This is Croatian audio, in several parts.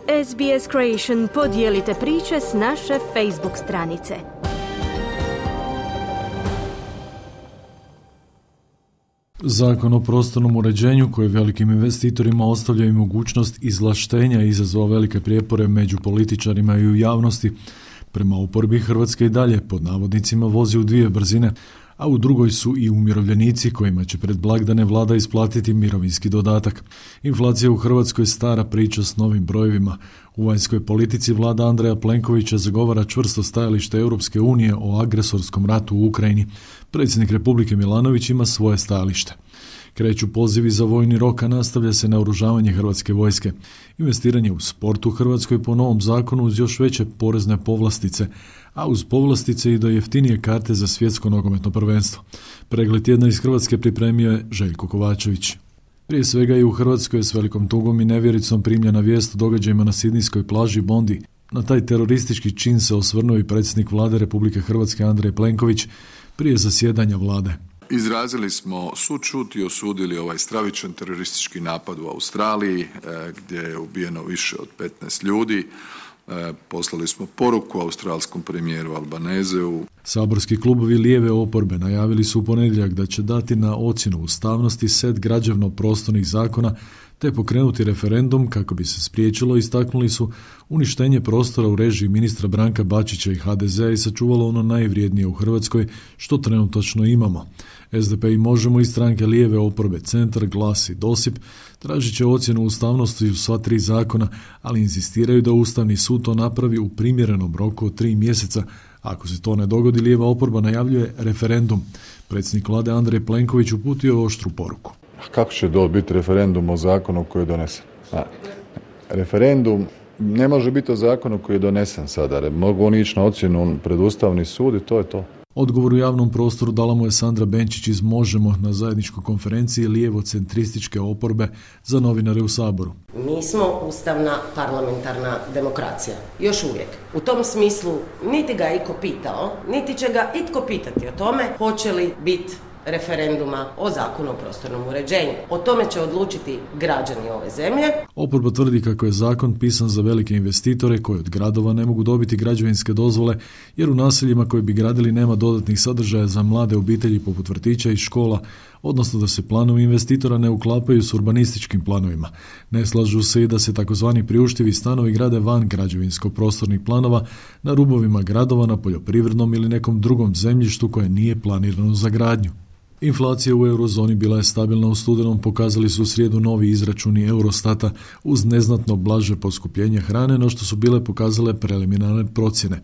SBS Creation podijelite priče s naše Facebook stranice. Zakon o prostornom uređenju koji velikim investitorima ostavlja i mogućnost izvlaštenja izazvao velike prijepore među političarima i u javnosti. Prema oporbi Hrvatska i dalje pod navodnicima vozi u dvije brzine, a u drugoj su i umirovljenici kojima će pred blagdane vlada isplatiti mirovinski dodatak. Inflacija u Hrvatskoj je stara priča s novim brojevima. U vanjskoj politici vlada Andreja Plenkovića zagovara čvrsto stajalište Europske unije o agresorskom ratu u Ukrajini. Predsjednik Republike Milanović ima svoje stajalište. Kreću pozivi za vojni rok, a nastavlja se naoružavanje hrvatske vojske. Investiranje u sport u Hrvatskoj po novom zakonu uz još veće porezne povlastice, a uz povlastice i do jeftinije karte za svjetsko nogometno prvenstvo. Pregled tjedna iz Hrvatske pripremio je Željko Kovačević. Prije svega i u Hrvatskoj je s velikom tugom i nevjericom primljena vijest o događajima na sidnijskoj plaži Bondi. Na taj teroristički čin se osvrnuo i predsjednik vlade Republike Hrvatske Andrej Plenković prije zasjedanja vlade. Izrazili smo sućut i osudili ovaj stravičan teroristički napad u Australiji gdje je ubijeno više od 15 ljudi. Poslali smo poruku australskom premijeru Albanezeu. Saborski klubovi lijeve oporbe najavili su u ponedjeljak da će dati na ocjenu ustavnosti set građevno-prostornih zakona te pokrenuti referendum kako bi se spriječilo, istaknuli su, uništenje prostora u režiji ministra Branka Bačića i HDZ-a i sačuvalo ono najvrijednije u Hrvatskoj što trenutačno imamo. SDP i Možemo i stranke lijeve oporbe Centar, Glas i Dosip tražit će ocjenu ustavnosti u sva tri zakona, ali inzistiraju da Ustavni sud to napravi u primjerenom roku od 3 mjeseca. Ako se to ne dogodi, lijeva oporba najavljuje referendum. Predsjednik vlade Andrej Plenković uputio je oštru poruku. Kako će to biti referendum o zakonu koji je donesen? Referendum ne može biti o zakonu koji je donesen sada. Mogu oni ići na ocjenu pred Ustavni sud i to je to. Odgovor u javnom prostoru dala mu je Sandra Benčić iz Možemo na zajedničkoj konferenciji lijevo-centrističke oporbe za novinare u Saboru. Mi smo ustavna parlamentarna demokracija. Još uvijek. U tom smislu niti ga iko pitao, niti će ga itko pitati o tome hoće li biti referenduma o zakonu o prostornom uređenju. O tome će odlučiti građani ove zemlje. Oporba tvrdi kako je zakon pisan za velike investitore koji od gradova ne mogu dobiti građevinske dozvole jer u naseljima koji bi gradili nema dodatnih sadržaja za mlade obitelji poput vrtića i škola, odnosno da se planovi investitora ne uklapaju s urbanističkim planovima. Ne slažu se i da se takozvani priuštivi stanovi grade van građevinsko-prostornih planova na rubovima gradova, na poljoprivrednom ili nekom drugom zemljištu koje nije planirano za gradnju. Inflacija u eurozoni bila je stabilna u studenom, pokazali su u srijedu novi izračuni Eurostata uz neznatno blaže poskupljenje hrane, no što su bile pokazale preliminarne procjene.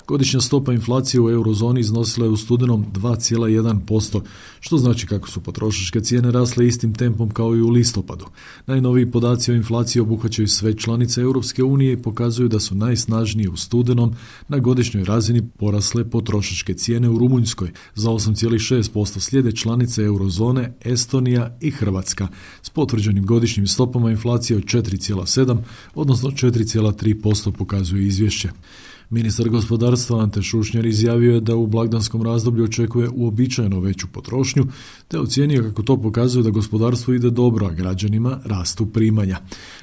Godišnja stopa inflacije u eurozoni iznosila je u studenom 2,1%, što znači kako su potrošačke cijene rasle istim tempom kao i u listopadu. Najnoviji podaci o inflaciji obuhvaćaju sve članice Europske unije i pokazuju da su najsnažnije u studenom na godišnjoj razini porasle potrošačke cijene u Rumunjskoj za 8,6%, slijede članice eurozone Estonija i Hrvatska s potvrđenim godišnjim stopama inflacije od 4,7, odnosno 4,3% pokazuje izvješće. Ministar gospodarstva Ante Šušnjar izjavio je da u blagdanskom razdoblju očekuje uobičajeno veću potrošnju, te ocijenio kako to pokazuje da gospodarstvo ide dobro, a građanima rastu primanja.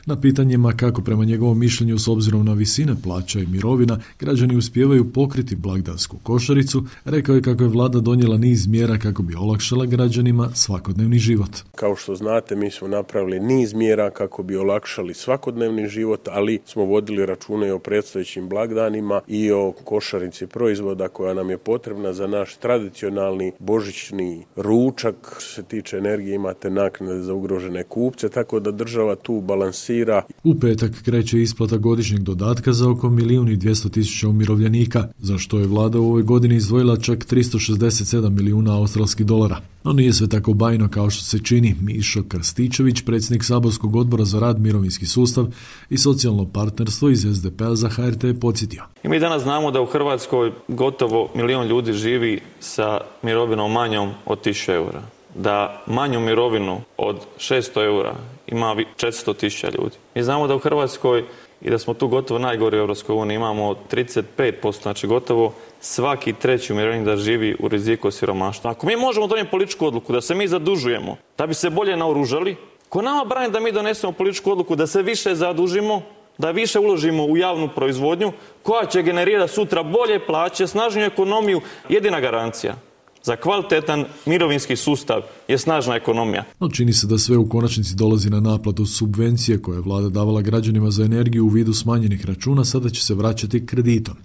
Na pitanjima kako prema njegovom mišljenju s obzirom na visine plaća i mirovina građani uspijevaju pokriti blagdansku košaricu, rekao je kako je vlada donijela niz mjera kako bi olakšala građanima svakodnevni život. Kao što znate, mi smo napravili niz mjera kako bi olakšali svakodnevni život, ali smo vodili računa i o predstojećim blagdanima i o košarici proizvoda koja nam je potrebna za naš tradicionalni božićni ručak. Što se tiče energije, imate naknade za ugrožene kupce, tako da država tu balansira. U petak kreće isplata godišnjeg dodatka za oko 1.200.000 umirovljenika, za što je vlada u ovoj godini izdvojila čak 367 milijuna australskih dolara. No nije sve tako bajno kao što se čini. Mišo Krstičević, predsjednik saborskog odbora za rad, mirovinski sustav i socijalno partnerstvo iz SDP-a za HRT je podsjetio. I mi danas znamo da u Hrvatskoj gotovo 1 milijun ljudi živi sa mirovinom manjom od 1.000 eura. Da manju mirovinu od 600 eura ima 400.000 ljudi. Mi znamo da u Hrvatskoj i da smo tu gotovo najgori u EU, imamo 35%, znači gotovo svaki treći umirovljenik da živi u riziku od siromaštva. Ako mi možemo donijeti političku odluku da se mi zadužujemo, da bi se bolje naoružali, ko nama brani da mi donesemo političku odluku da se više zadužimo, da više uložimo u javnu proizvodnju koja će generirati sutra bolje plaće, snažniju ekonomiju. Jedina garancija za kvalitetan mirovinski sustav je snažna ekonomija. No čini se da sve u konačnici dolazi na naplatu subvencije koje je vlada davala građanima za energiju u vidu smanjenih računa, sada će se vraćati kreditom.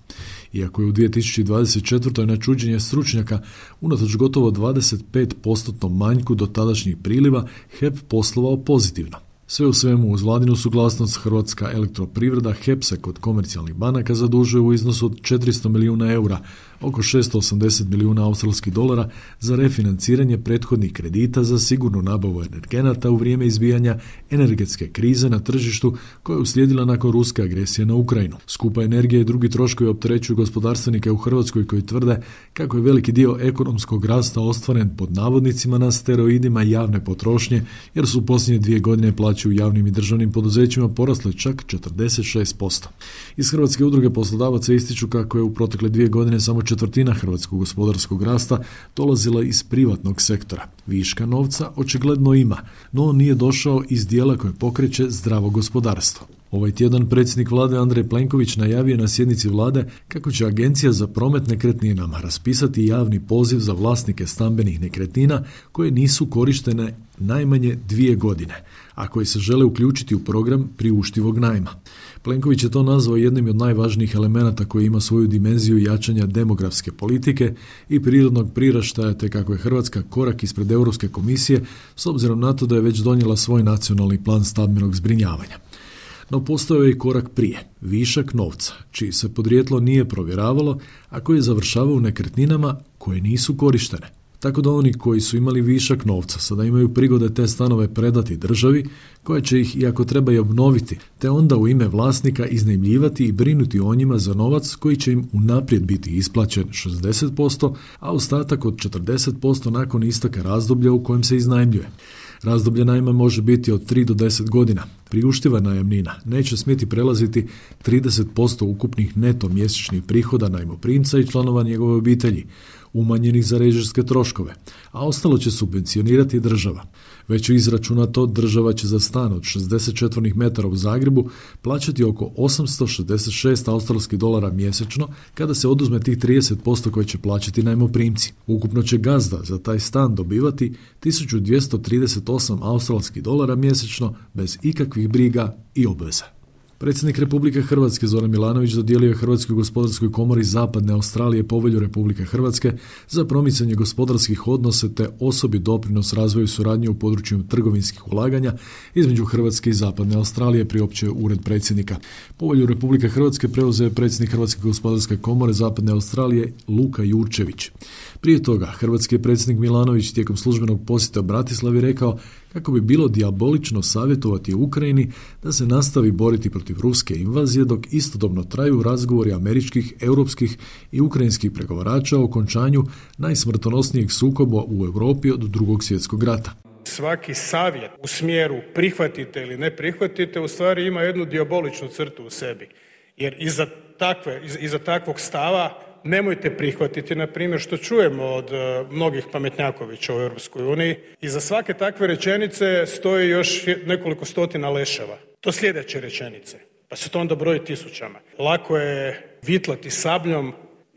Iako je u 2024. na čuđenje stručnjaka unatoč gotovo 25% manjku do tadašnjih priliva HEP poslovao pozitivno. Sve u svemu, uz vladinu suglasnost Hrvatska elektroprivreda HEP se kod komercijalnih banaka zadužuje u iznosu od 400 milijuna eura, oko 680 milijuna australskih dolara za refinanciranje prethodnih kredita za sigurnu nabavu energenata u vrijeme izbijanja energetske krize na tržištu koja je uslijedila nakon ruske agresije na Ukrajinu. Skupa energija i drugi troškovi opterećuju gospodarstvenike u Hrvatskoj koji tvrde kako je veliki dio ekonomskog rasta ostvaren pod navodnicima na steroidima javne potrošnje, jer su u posljednje 2 godine plaće u javnim i državnim poduzećima porasle čak 46%. Iz Hrvatske udruge poslodavaca ističu kako je u protekle 2 godine samo 1/4 hrvatskog gospodarskog rasta dolazila iz privatnog sektora. Viška novca očigledno ima, no on nije došao iz dijela koje pokreće zdravo gospodarstvo. Ovaj tjedan predsjednik vlade Andrej Plenković najavio na sjednici vlade kako će Agencija za promet nekretninama raspisati javni poziv za vlasnike stambenih nekretnina koje nisu korištene najmanje 2 godine, a koji se žele uključiti u program priuštivog najma. Plenković je to nazvao jednim od najvažnijih elemenata koji ima svoju dimenziju jačanja demografske politike i prirodnog priraštaja, te kako je Hrvatska korak ispred Europske komisije s obzirom na to da je već donijela svoj nacionalni plan stambenog zbrinjavanja. No postojao je i korak prije, višak novca, čiji se podrijetlo nije provjeravalo, a koji je završavao u nekretninama koje nisu korištene. Tako da oni koji su imali višak novca sada imaju prigode te stanove predati državi, koja će ih, iako treba i obnoviti, te onda u ime vlasnika iznajmljivati i brinuti o njima za novac koji će im unaprijed biti isplaćen 60%, a ostatak od 40% nakon isteka razdoblja u kojem se iznajmljuje. Razdoblje najma može biti od 3 do 10 godina. Priuštiva najamnina neće smjeti prelaziti 30% ukupnih neto mjesečnih prihoda najmoprimca i članova njegove obitelji, umanjenih za režijske troškove, a ostalo će subvencionirati država. Već je izračunato, država će za stan od 60 četvornih metara u Zagrebu plaćati oko 866 australskih dolara mjesečno kada se oduzme tih 30% koje će plaćati najmoprimci. Ukupno će gazda za taj stan dobivati 1238 australskih dolara mjesečno bez ikakvih briga i obveza. Predsjednik Republike Hrvatske Zoran Milanović dodijelio je Hrvatskoj gospodarskoj komori Zapadne Australije povelju Republike Hrvatske za promicanje gospodarskih odnosa te osobi doprinos razvoju suradnje u području trgovinskih ulaganja između Hrvatske i Zapadne Australije, priopćio Ured predsjednika. Povelju Republike Hrvatske preuzeo je predsjednik Hrvatske gospodarske komore Zapadne Australije Luka Jurčević. Prije toga, hrvatski predsjednik Milanović tijekom službenog posjeta Bratislavi rekao kako bi bilo dijabolično savjetovati Ukrajini da se nastavi boriti protiv ruske invazije dok istodobno traju razgovori američkih, europskih i ukrajinskih pregovarača o okončanju najsmrtonosnijeg sukoba u Europi od Drugog svjetskog rata. Svaki savjet u smjeru prihvatite ili ne prihvatite u stvari ima jednu dijaboličnu crtu u sebi. Jer iza takvog stava nemojte prihvatiti, na primjer, što čujemo od mnogih pametnjakovića u Europskoj uniji. Iza svake takve rečenice stoji još nekoliko stotina leševa. To sljedeće rečenice, pa se to onda broji tisućama. Lako je vitlati sabljom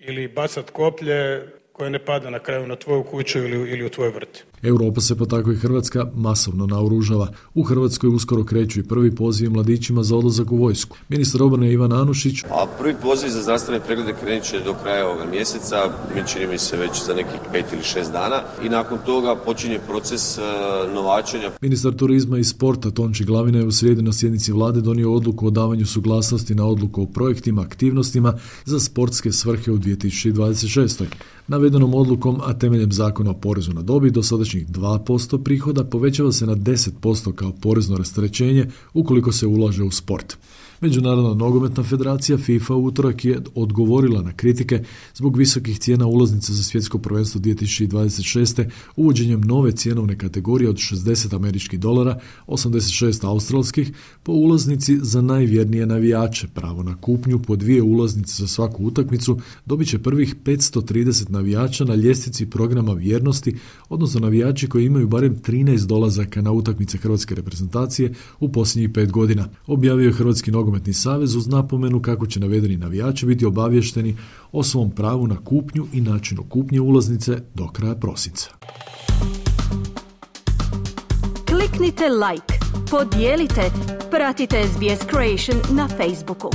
ili bacat koplje koje ne pada na kraju na tvoju kuću ili u tvoj vrt. Europa se, pa tako i Hrvatska, masovno naoružava. U Hrvatskoj uskoro kreću i prvi pozivi mladićima za odlazak u vojsku. Ministar obrane Ivan Anušić. A prvi poziv za zdravstvene preglede krenut će do kraja ovoga mjeseca, čini mi se već za nekih 5 ili 6 dana i nakon toga počinje proces novačenja. Ministar turizma i sporta Tonči Glavina je u srijedu na sjednici vlade donio odluku o davanju suglasnosti na odluku o projektima, aktivnostima za sportske svrhe u 2026. Navedenom odlukom, a temeljem zakona o porezu na dobit, dosadašnjih 2% prihoda povećava se na 10% kao porezno rasterećenje ukoliko se ulaže u sport. Međunarodna nogometna federacija FIFA u utorak je odgovorila na kritike zbog visokih cijena ulaznica za svjetsko prvenstvo 2026. uvođenjem nove cjenovne kategorije od $60, 86 australskih po ulaznici za najvjernije navijače. Pravo na kupnju po 2 ulaznice za svaku utakmicu dobit će prvih 530 navijača na ljestvici programa vjernosti, odnosno navijači koji imaju barem 13 dolazaka na utakmice hrvatske reprezentacije u posljednjih 5 godina, objavio je Hrvatski nogometni nogometni savez uz napomenu kako će navedeni navijači biti obavješteni o svom pravu na kupnju i načinu kupnje ulaznice do kraja prosinca. Kliknite like, podijelite, pratite SBS Creation na Facebooku.